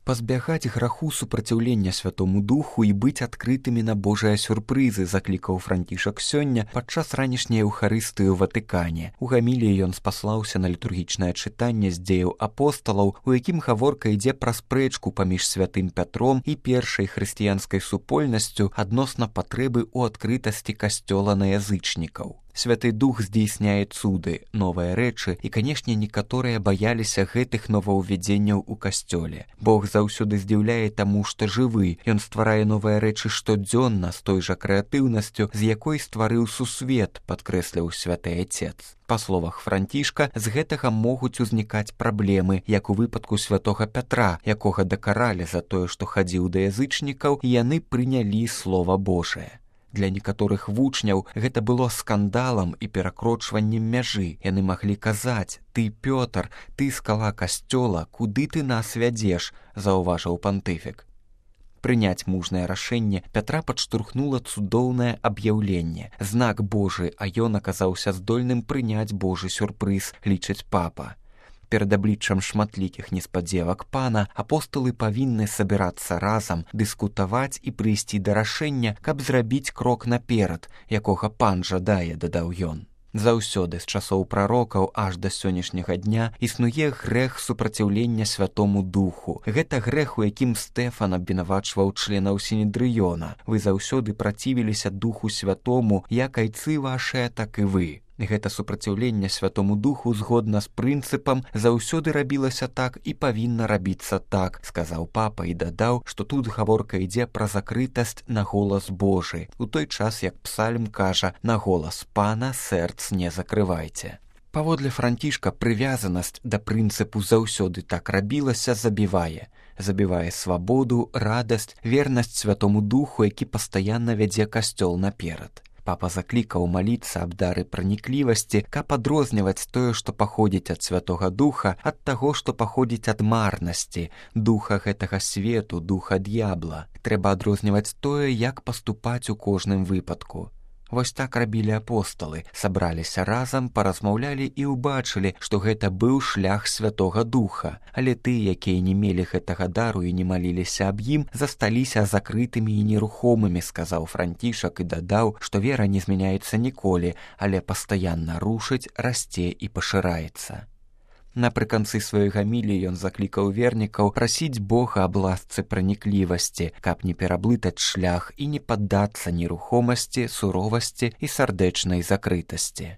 Пазбягаць граху супраціўлення Святому Духу і быць адкрытымі на Божыя сюрпрызы, заклікаў Францішак сёння падчас ранішняй Еўхарыстыі ў Ватыкане. У гаміліі ён спаслаўся на літургічнае чытанне з дзеяў апосталаў, у якім гаворка ідзе пра спрэчку паміж святым Пятром і першай хрысціянскай супольнасцю адносна патрэбы ў адкрытасці касцёла на язычнікаў. Святы Дух здзейсняе цуды, новыя рэчы, і, канешне, некаторыя баяліся гэтых новаўвядзенняў у касцёле. Бог заўсёды здзіўляе таму, што жывы. Ён стварае новыя рэчы штодзённа з той жа крэатыўнасцю, з якой стварыў сусвет, падкрэсліў святы Отец. Па словах Францішка, з гэтага могуць узнікаць праблемы, як у выпадку святога Пятра, якога дакаралі за тое, што хадзіў да язычнікаў, і яны прынялі Слова Божае. Для некаторых вучняў гэта было скандалам і перакрочваннем мяжы. Яны маглі казаць: «Ты, Пётр, ты скала касцёла, куды ты нас вядзеш?» – заўважыў пантыфік. Прыняць мужнае рашэнне Пятра падштурхнула цудоўнае аб'яўленне. Знак Божы, а ён аказаўся здольным прыняць Божы сюрпрыз, лічыць папа. Перад абліччам шматлікіх неспадзевак пана апосталы павінны сабірацца разам, дыскутаваць і прыйсці да рашэння, каб зрабіць крок наперад, якога пан жадае, дадаў ён. Заўсёды з часоў прарокаў аж да сённяшняга дня існуе грэх супраціўлення Святому Духу. Гэта грэх, у якім Стэфан абвінавачваў членаў Сінедрыёна. Вы заўсёды працівіліся Духу Святому, як айцы вашыя, так і вы. Гэта супраціўленне Святому Духу згодна з прынцыпам заўсёды рабілася так і павінна рабіцца так, сказаў папа і дадаў, што тут гаворка ідзе пра закрытасць на голас Божы, у той час, як псальм кажа: «На голас пана сэрц не закрывайце». Паводле Францішка прывязанасць да прынцыпу заўсёды так рабілася забівае свабоду, радасць, вернасць Святому Духу, які пастаянна вядзе касцёл наперад. Папа заклікаў маліцца аб дары праніклівасці, каб адрозніваць тое, што паходзіць ад Святога Духа, ад таго, што паходзіць ад марнасці, духа гэтага свету, духа д'ябла. Трэба адрозніваць тое, як паступаць у кожным выпадку. Вось так рабілі апосталы, сабраліся разам, паразмаўлялі і ўбачылі, што гэта быў шлях Святога Духа. Але тыя, якія не мелі гэтага дару і не маліліся аб ім, засталіся закрытымі і нерухомымі, сказаў Францішак і дадаў, што вера не змяняецца ніколі, але пастаянна рушыць, расце і пашыраецца. Напрыканцы сваёй гаміліі ён заклікаў вернікаў прасіць Бога аб ласцы праніклівасці, каб не пераблытаць шлях і не паддацца нерухомасці, суровасці і сардэчнай закрытасці.